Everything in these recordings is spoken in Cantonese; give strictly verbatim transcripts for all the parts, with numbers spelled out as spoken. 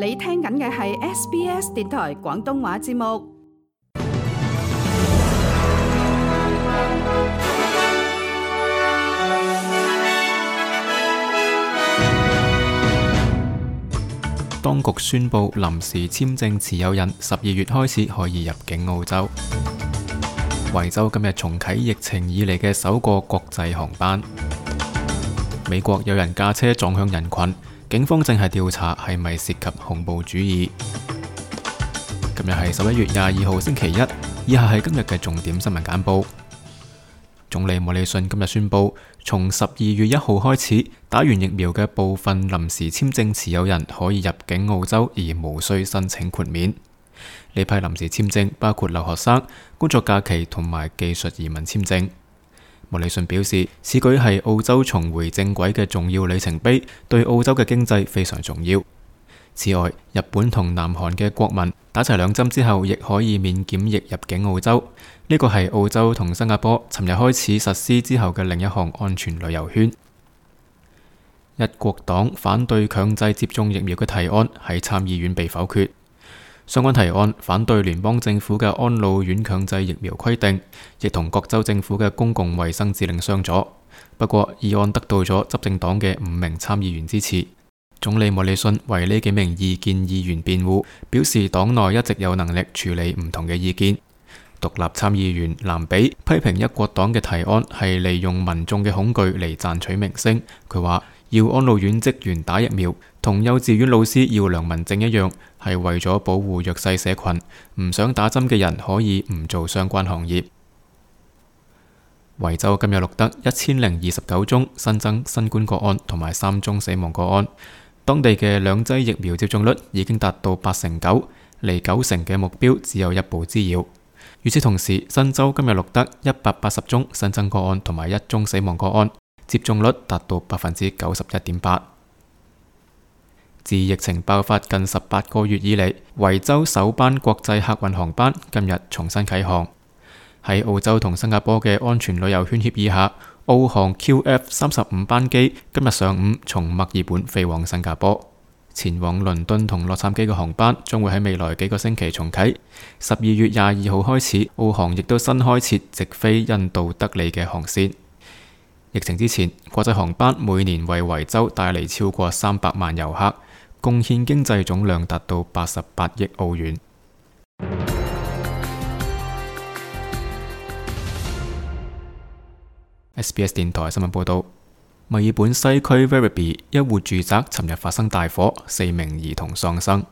你聽緊嘅係 S B S 電台廣東話節目。當局宣布臨時簽證持有人十二月開始可以入境澳洲。維州今日重啟疫情以嚟嘅首個國際航班。美國有人駕車撞向人群，警方正係調查係咪涉及恐怖主義。今日係十一月廿二號星期一，以下係今日嘅重點新聞簡報。總理莫里遜今日宣布，從十二月一號開始，打完疫苗嘅部分臨時簽證持有人可以入境澳洲，而無需申請豁免。呢批臨時簽證包括留學生、工作假期同埋技術移民簽證。莫里遜表示，此舉係澳洲重回正軌嘅重要里程碑，對澳洲嘅經濟非常重要。此外，日本同南韓嘅國民打齊兩針之後，亦可以免檢疫入境澳洲。呢個係澳洲同新加坡尋日開始實施之後嘅另一項安全旅遊圈。一國黨反對強制接種疫苗嘅提案喺參議院被否決。相關提案反對聯邦政府嘅安老院強制疫苗規定，亦同各州政府嘅公共衛生指令相左。不過，議案得到咗執政黨嘅五名參議員支持。總理莫里遜為呢幾名異見議員辯護，表示黨內一直有能力處理唔同嘅意見。獨立參議員藍比批評一國黨嘅提案係利用民眾嘅恐懼嚟賺取名聲。佢話要安老院職員打疫苗，同幼稚園老師要良民證一樣，係為咗保護弱勢社群，唔想打針嘅人可以唔做相關行業。維州今日錄得一千零二十九宗新增新冠個案同埋三宗死亡個案，當地嘅兩劑疫苗接種率已經達到八成九，離九成嘅目標只有一步之遙。與此同時，新州今日錄得一百八十宗新增個案同埋一宗死亡個案，接種率達到百分之九十一點八。自疫情爆發近十八個月以嚟，維州首班國際客運航班今日重新啟航。喺澳洲同新加坡嘅安全旅遊圈協議下，澳航 Q F 三十五班機今日上午從墨爾本飛往新加坡，前往倫敦同洛杉磯嘅航班將會喺未來幾個星期重啟。十二月廿二號開始，澳航亦都新開設直飛印度德里嘅航線。疫情之前，國際航班每年為維州帶嚟超過三百萬遊客，貢獻經濟總量達到八十八億澳元。S B S 電台新聞報道，墨爾本西區 Werribee 一戶住宅尋日發生大火，四名兒童喪生。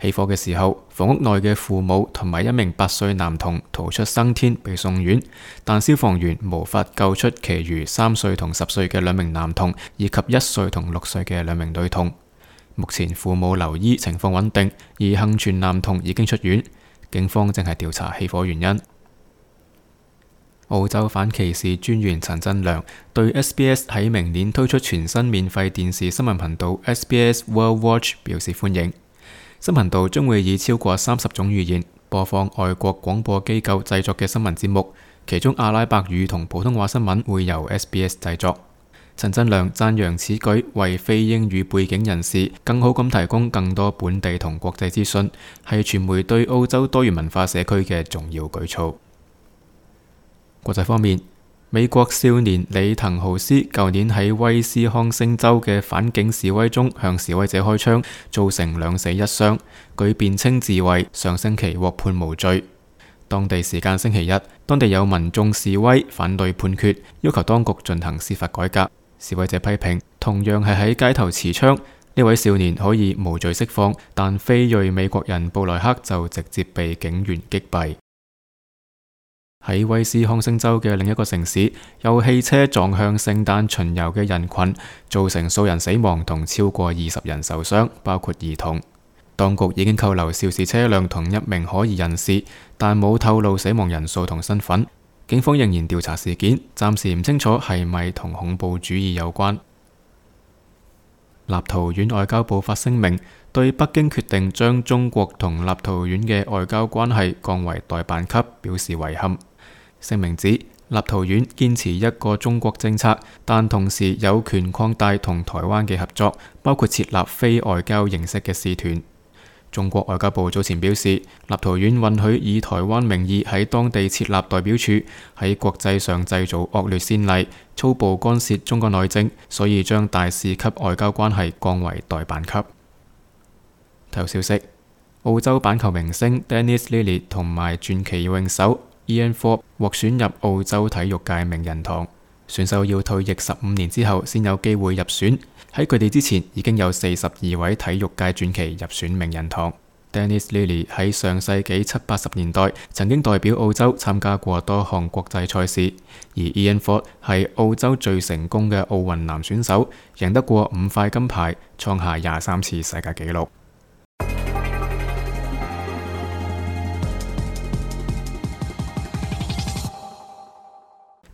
起火嘅時候，房屋內嘅父母同埋一名八歲男童逃出生天，被送院，但消防員無法救出其餘三歲同十歲嘅兩名男童，以及一歲同六歲嘅兩名女童。目前父母留醫，情況穩定，而幸存男童已經出院。警方正係調查起火原因。澳洲反歧視專員陳振良對 S B S 喺明年推出全新免費電視新聞頻道 S B S World Watch 表示歡迎。新頻道將會以超過三十種語言播放外國廣播機構製作嘅新聞節目，其中阿拉伯語同普通話新聞會由 S B S 製作。陳振良讚揚此舉為非英語背景人士更好咁提供更多本地同國際資訊，係傳媒對澳洲多元文化社區嘅重要舉措。國際方面，美國少年李滕豪斯舊年喺威斯康星州嘅反警示威中向示威者開槍，造成兩死一傷，據辯稱自衛，上星期獲判無罪。當地時間星期一，當地有民眾示威反對判決，要求當局進行司法改革。示威者批評，同樣係喺街頭持槍，呢位少年可以無罪釋放，但非裔美國人布萊克就直接被警員擊斃。喺威斯康星州嘅另一個城市，有汽車撞向聖誕巡遊嘅人群，造成數人死亡同超過二十人受傷，包括兒童。當局已經扣留肇事車輛同一名可疑人士，但冇透露死亡人數同身份。警方仍然調查事件，暫時唔清楚係咪同恐怖主義有關。立陶宛外交部發聲明，對北京決定將中國同立陶宛嘅外交關係降為代辦級表示遺憾。聲明指，立陶宛堅持一個中國政策，但同時有權擴大同台灣嘅合作，包括設立非外交形式嘅使團。中國外交部早前表示，立陶宛允許以台灣名義喺當地設立代表處，喺國際上製造惡劣先例，粗暴干涉中國內政，所以將大使級外交關係降為代辦級。體育消息：澳洲板球明星 Dennis Lillee 同埋傳奇泳手 Ian Thorpe 獲選入澳洲體育界名人堂。選手要退役十五年之後先有機會入選，喺佢哋之前已經有四十二位體育界傳奇入選名人堂。Dennis Lillee 喺上世紀七八十年代曾經代表澳洲參加過多項國際賽事，而 Ian Thorpe 係澳洲最成功嘅奧運男選手，贏得過五塊金牌，創下廿三次世界紀錄。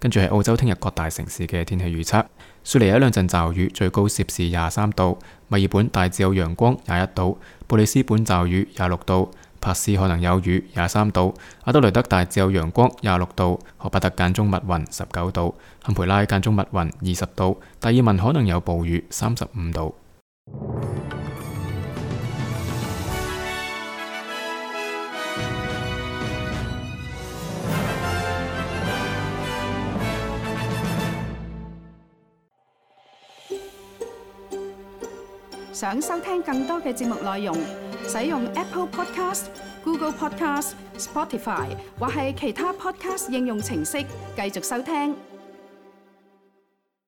跟住係澳洲聽日各大城市嘅天氣預測：雪梨有一兩陣驟雨，最高攝氏廿三度；墨爾本大致有陽光，廿一度；布里斯本驟雨，廿六度；珀斯可能有雨，廿三度；阿德雷德大致有陽光，廿六度；荷伯特間中密雲，十九度；坎培拉間中密雲，二十度；達爾文可能有暴雨，三十五度。想收聽更多嘅節目內容，使用 Apple Podcast、Google Podcast、Spotify 或係其他 Podcast 應用程式繼續收聽。